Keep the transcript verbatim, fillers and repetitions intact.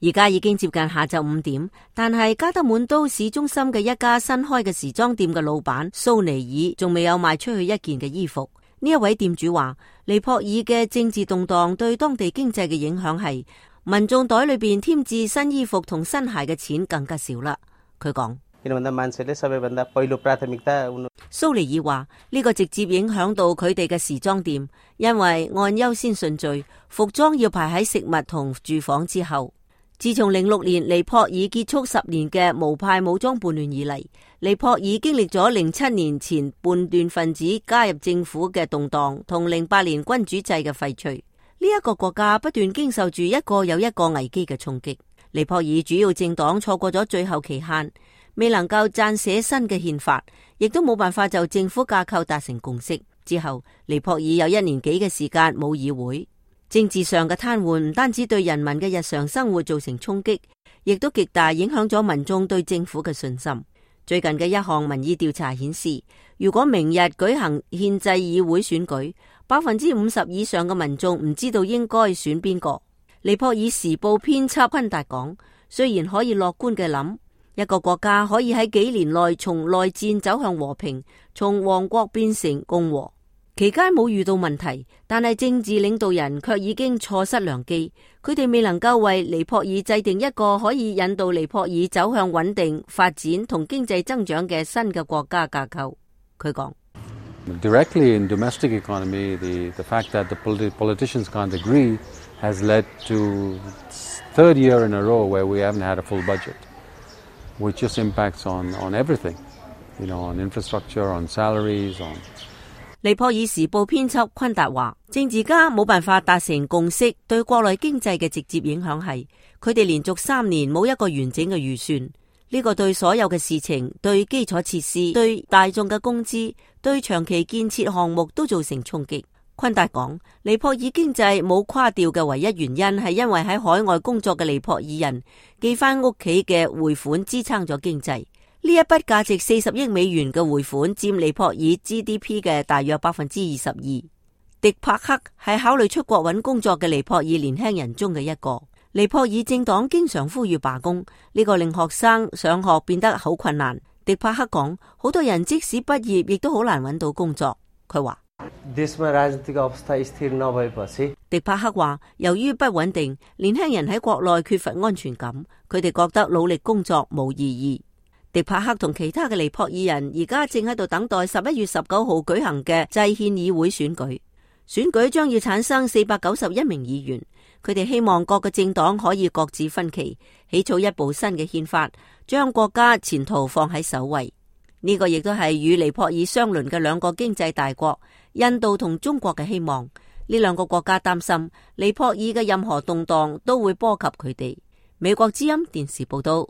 而家已經接近下晝五點，但係加德滿都市中心嘅一家新開嘅時裝店嘅老闆蘇尼爾仲未有賣出去一件嘅衣服。呢一位店主話，尼泊爾嘅政治動盪對當地經濟嘅影響係民眾袋裏邊添置新衣服同新鞋嘅錢更加少啦。佢講，蘇尼爾話呢個直接影響到佢哋嘅時裝店，因為按優先順序，服裝要排喺食物同住房之後。自從零六年尼泊爾結束十年嘅無派武裝叛亂以嚟，尼泊爾經歷咗零七年前叛亂分子加入政府嘅動盪，同零八年君主制嘅廢除。呢、這、一個國家不斷經受住一個又一個危機嘅衝擊。尼泊爾主要政黨錯過咗最後期限，未能夠撰寫新嘅憲法，亦都冇辦法就政府架構達成共識。之後，尼泊爾有一年幾嘅時間冇議會。政治上嘅癱瘓唔單止對人民嘅日常生活造成衝擊，亦都極大影響咗民眾對政府嘅信心。最近嘅一項民意調查顯示，如果明日舉行憲制議會選舉，百分之五十以上嘅民眾唔知道應該選邊個。尼泊爾時報編輯昆達講，雖然可以樂觀嘅諗，一個國家可以喺幾年內從內戰走向和平，從王國變成共和。期間冇遇到問題，但係政治領導人卻已經錯失良機。佢哋未能夠為尼泊爾制定一個可以引導尼泊爾走向穩定發展同經濟增長嘅新嘅國家架構。佢講，Directly in domestic economy, the the fact that the politicians can't agree has led to third year in a row where we haven't had a full budget, which just impacts on on everything, you know, on infrastructure, on salaries, on。尼泊爾時報編輯昆達話，政治家冇辦法達成共識，對國內經濟嘅直接影響係佢哋連續三年冇一個完整嘅預算。呢個對所有嘅事情，對基礎設施、對大眾嘅工資、對長期建設項目都造成衝擊。昆達講，尼泊爾經濟冇垮掉嘅唯一原因係因為喺海外工作嘅尼泊爾人寄翻屋企嘅匯款支撐咗經濟。呢一筆價值四十億美元嘅匯款佔尼泊爾 G D P 嘅大約百分之二十二。迪帕克係考慮出國揾工作嘅尼泊爾年輕人中嘅一個。尼泊爾政黨經常呼籲罷工，呢個令學生上學變得好困難。迪帕克講，好多人即使畢業亦都好難揾到工作。佢話，迪帕克話，由於不穩定，年輕人喺國內缺乏安全感，佢哋覺得努力工作冇意義。迪帕克同其他嘅尼泊爾人而家正喺度等待十一月十九號舉行嘅制憲議會選舉，選舉將要產生四百九十一名議員。佢哋希望各個政黨可以各自分歧，起草一部新嘅憲法，將國家前途放喺首位。呢個亦都係與尼泊爾相鄰嘅兩個經濟大國印度同中國嘅希望。呢兩個國家擔心尼泊爾嘅任何動盪都會波及佢哋。美國之音電視報道。